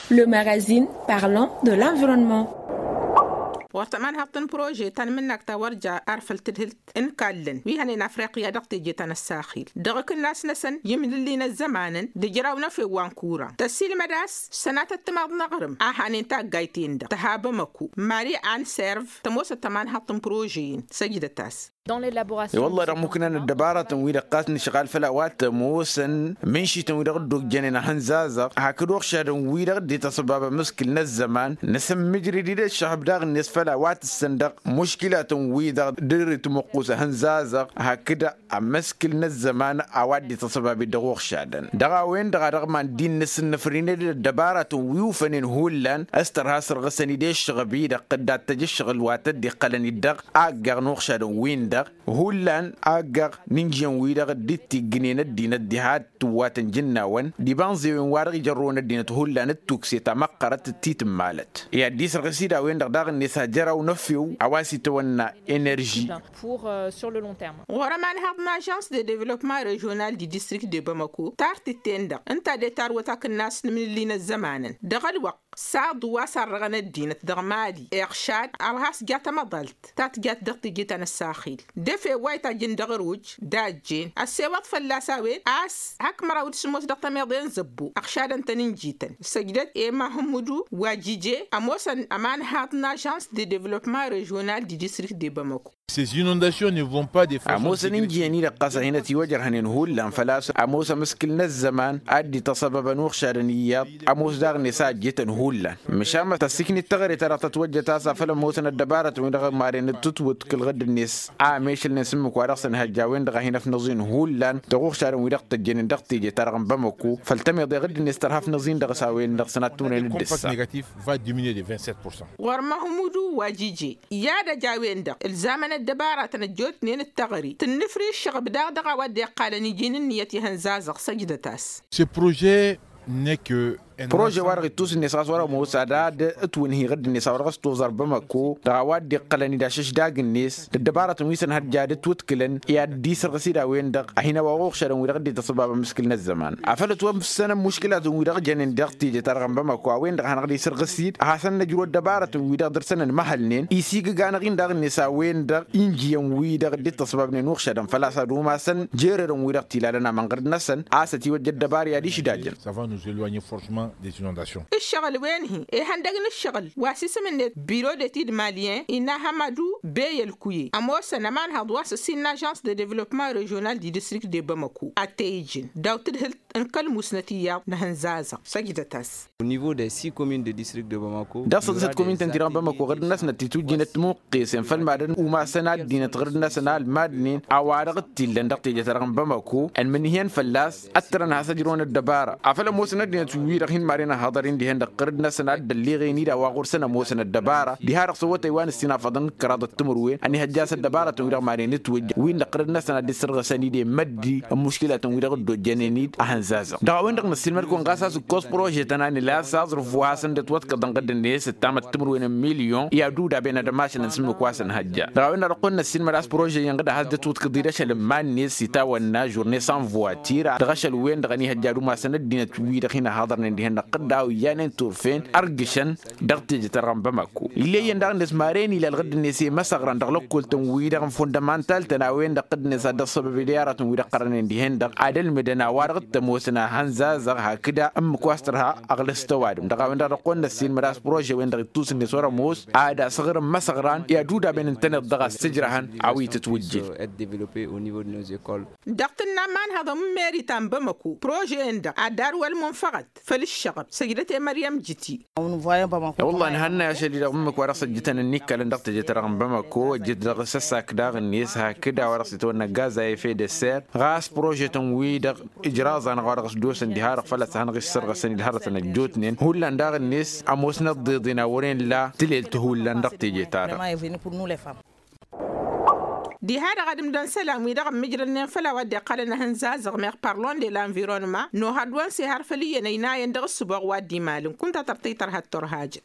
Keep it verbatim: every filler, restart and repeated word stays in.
Le magazine parlant de l'environnement. Wăr tămanhăḍt n-prože ta n-imǝnnak ta wăr ja ar făl tǝdhǝlt n-kallăn wi hănen afriqya dăɣ-teje ta n-ăssaxil dăɣ-akǝnnas-năsăn i-imlǝlli n-ăzzămanăn d-ijraw n-efew wa n-kura tăsilmăd a-s sănatăt timaḍ n-aɣrǝm a hanen taggayt-en-dăɣ tăha bamăko mari anserv tămoosăt tămanhăḍt n-prože-in săjdăt-as. I-wălla-hi dăɣ-muknan ăddăbaratăn-wi-dăɣ ɣas nǝšɣal făll-a-wa t-ămoosăn mǝnšităn-wi-dăɣ dd-ojjănen ahănzazăɣ hakd uɣšadăn wi-dăɣ dd-ităṣbab amǝskǝl n-ăzzăman nǝsǝmmǝjrǝd-dd ǝššăɣb daɣ-net făll-a-wa tǝssăn dăɣ-muškilatăn-wi-dăɣ dd-ritmǝqqus ahănzazăɣ hakd amǝskǝl n-ăzzăman a-wa dd-ităṣbab-dd dăɣ-uɣšadăn dăɣ-a-wen-dăɣ a dăɣ-iman dd-innǝsǝnnǝfrǝned d-ăddăbaratăn wi ufănen hullan s-tărha sărɣǝsăn-dd i-ǝššăɣăb-i-dăɣ dd-ad-tăj ǝššăɣǝl wa tădd-iqqălăn-dd dăɣ-aggaɣ n-uɣšadăn-win-dăɣ hullan aggaɣ n-injǝyăn-wi-dăɣ dd-tiggǝnen ăddinăt diha d-tǝwwatăn jǝnnawăn d-ibanẓewen wa dăɣ-ijărrăwăn ăddinăt hullan d-tukse ta măqqărăt d-titǝmmalăt i-ad-dd-isărɣǝs-dd a-wen-dăɣ daɣ-net ajăraw n-efew a-wa s-itawănna enerži. Ɣur-ămanhăḍ n-ažans de devălopma režional di distrikt de bamako tartǝt-en-dăɣ ǝnta a de-tarwăt akǝnnas n-imnǝlli n-ăzzămanăn dăɣ-ălwăqq saḍu wa sarrăɣăn ăddinăt dăɣ-mali iɣšad ărha s-ja tamăḍalt ta tǝjat dăɣ-teje ta n-ăssaxil d-efew wa itajjǝn dăɣ-ăruj d-ajjen ăssewăḍ fălla-s a-wen a-s hak măraw d-sǝmmos dăɣ-tămiḍe n-zăbbo ăɣšadăn-tăn ǝnjităn săjdăt i-mahǝmmudu wa jije ămoosăn ămanhaḍ n-ažans de devălopma režional di distrikt de bamako. Ămoosăn ǝnjǝyăn-i-dăɣ ɣas a hin-ătiwăjrăhnen hullan făl-a-s ămoos amǝskǝl n-ăzzăman a dd-ităṣăbăbăn uɣšadăn iyyăḍ ămoos daɣ-net a ăjjǝtăn hullan măšan ma tăssǝknit teɣăre ta dăɣ-tătwăjjăt a-s afăl ămoosăn ăddăbarătăn-wi-dăɣ maren d-tǝtwǝtkǝl ɣǝdd-net a ămešălnen s-ǝmmǝk wa dăɣ-săn hăjja a-wen-dăɣ a hin-ăfnăẓin hullan dăɣ-uɣšadăn-wi-dăɣ tăjjănen dăɣ-teje-ta-dăɣ n-bamăko făll-tămiḍe ɣǝdd-net tărha afnăẓin dăɣ-s a-wen-dăɣ săn ad-t-ǝmrăyăn d-ǝssa. Va diminuer de vingt-sept pour cent. Ɣur-măhmudu wa jije i-ad-ăj a-wen-dăɣ ǝlzamăn ăddăbaratăn ăjjootnen d-teɣăre tǝnnǝfri ǝššăɣăb daɣ dăɣ-a-wa dd-iqqalăn iji n-ǝnniyăt ihănzazăɣ săjdăt-as. Ce projet n-e-kăl prože wa-dăɣ ittus-net ɣas wăr-ămoos ad-ad-ǝtwǝnhǝy ɣǝdd-net a-wa dăɣ-s toẓăr bămăko dăɣ-a-wa dd-iqqălăn-dd ašăšdag-net d-ăddăbarătăn wi s-ănhăjja ad-ǝtwǝtkǝlăn i-ad-dd-isărɣǝs-dd a-wen-dăɣ a hin-ăwaɣ uɣšadăn-wi-dăɣ dd-ităṣbab amǝskǝl n-ăzzăman afăl ătwămsăn ămmuškǝlatăn-wi-dăɣ jănen dăɣ-teje-ta-dăɣ n-bamăko a-wen-dăɣ a hanăɣ-dd-isărɣǝs-dd ad-hasăn-năjrǝw ăddăbarătăn-wi-dăɣ dăr-săn ănmăhălnen isigǝg-anăɣ-in daɣ-net a-wen-dăɣ injǝyăn-wi-dăɣ dd-ităṣbabnen uɣšadăn făl-a-s ad-umasăn jererăn-wi-dăɣ tilalăn amănɣăr-năsăn a-s ătiwăjja ăddăbar i-ad-išdajăn. Ǝššăɣǝl-wen-hi ihăndăg n-ǝššăɣǝl wa s-isǝm-net biro d-etid malyen inahămadu bey ălkuye ămoosăn ămanhăḍ wa s-ǝssin n-ažans de devălopman režional di distrikt de bamăko ad-t-e-ijǝn daw-tǝdhǝlt n-kăl-musnăt iyyăḍ n-ehănzazăɣ săjdăt-as. Dăɣ-săḍisăt komintăn-ti-dăɣ n-bamăko ɣǝrǝd-năsnăt titujjinăt timuqqesen făll-madăn umasăn ad-dinăt ɣǝrǝd-năsăn a ălmadnen a-wa-dăɣ t-illăn dăɣ-teje-ta-dăɣ n-bamăko ănmǝnhǝyăn fălla-s ăttărăn has-ăjrăwăn ăddăbara afăl ămoosăn ăddinăt wi-dăɣ hin-madăn ăhhăḍăr-in dihen-dăɣ ɣǝrǝd-năsăn a dd-ălliɣen-dd a-wa ɣur-săn ămoosăn ăddăbara diha-dăɣ s-awătay wa n-ǝssin afăḍăn kăraḍăt timǝrwen ănihăjja a-s ăddăbarătăn-wi-dăɣ madăn-itwǝjja win-dăɣ ɣǝrǝd-năsăn a dd-issărɣǝsăn-dd i-măddi n-muškǝlatăn-wi-dăɣ dd-ojjănen-dd ahănzazăɣ dăɣ-a-wen-dăɣ năssiilmăd-kăwăn ɣas a-s ǝkkoẓ prože-tăn a nǝla a-s aẓrǝf wa hasăn-dd-ătwăḍkăḍăn ɣǝdd-net ǝttamăt timǝrwen n-milyon i-ad-udaben ad-ămašălăn s-ǝmmǝk wa s-ănhăjja dăɣ-a-wen-dăɣ dăɣ-kăwăn-năssiilmăd a-s prože-in ɣǝd a has-dd-ătwǝḍkăḍ-dd ašăl n-iman-net s-itawănna žurne sans voiture dăɣ-ašăl-wen-dăɣ ănihăjja ad-umasăn ăddinăt wi-dăɣ hin-ăhaḍărnen dihen-dăɣ ɣǝdda a ojjanen turfen ărgǝšăn dăɣ-teje-ta-dăɣ n-bamako ill'-e iyyăn daɣ-net maren ila ălɣǝdd-net i-măsăɣran dăɣ-lăkkol-tăn-wi-dăɣ n-fundămantal-tăn a-wen-dăɣ ɣǝdd-net ad-dd-ăṣṣăbăb i-dăy aratăn-wi-dăɣ ɣărănen dihen-dăɣ ad-ălmǝdăn a-wa-dăɣ t-ămoosăn ahănzazăɣ hakd ǝmmǝk wa s-tărha aɣlǝs tăwadǝm dăɣ-a-wen-dăɣ dăɣ-kăwăn-năssiilmăd a-s prože-wen-dăɣ ittus-net wăr-ămoos ad-asăɣrǝm măsăɣran i-ad-udaben ǝntăneḍ-dăɣ a-s tǝjrăhăn a-wa itǝtwǝjjǝn. Dăɣ-tǝnna imanhăḍăn n-meri ta n-bamăko prože-en-dăɣ ad-dd-arwălmǝnfăɣăt făll-ǝššăɣăb săjdăt i-măryăm jǝti. I-wălla ănhănnăy ašăl-i-dăɣ ǝmmǝk wa dăɣ-s ăjjǝtăn ǝnnikkălăn dăɣ-teje-ta-dăɣ n-bamăko ăjjǝt dăɣ-s ăssak daɣ-net hakd a-wa dăɣ-s itwănna gaz a effet de serre ɣas prože-tăn-wi-dăɣ ǝjraẓ-anăɣ wa dăɣ-s dd-osăn diha-dăɣ făl-a-s ad-hanăɣ-issărɣăsăn-dd hărătăn ăjjootnen hullan daɣ-net ămoosnăt d-iḍen a wăren la tǝlelt hullan dăɣ-teje-ta-dăɣ. Diha-dăɣ ad-ǝmdăn isălan-wi-dăɣ ămmijrălnen făll-a-wa dd-iqqălăn ehănzazăɣ meɣ parlon de lanvironnement nohăḍ-wăn s-ehăr făll-iyyăn ăynayăn dăɣ-ǝssǝboɣ wa dd-imalăn kunta tărtăy tărha d-turhajăt.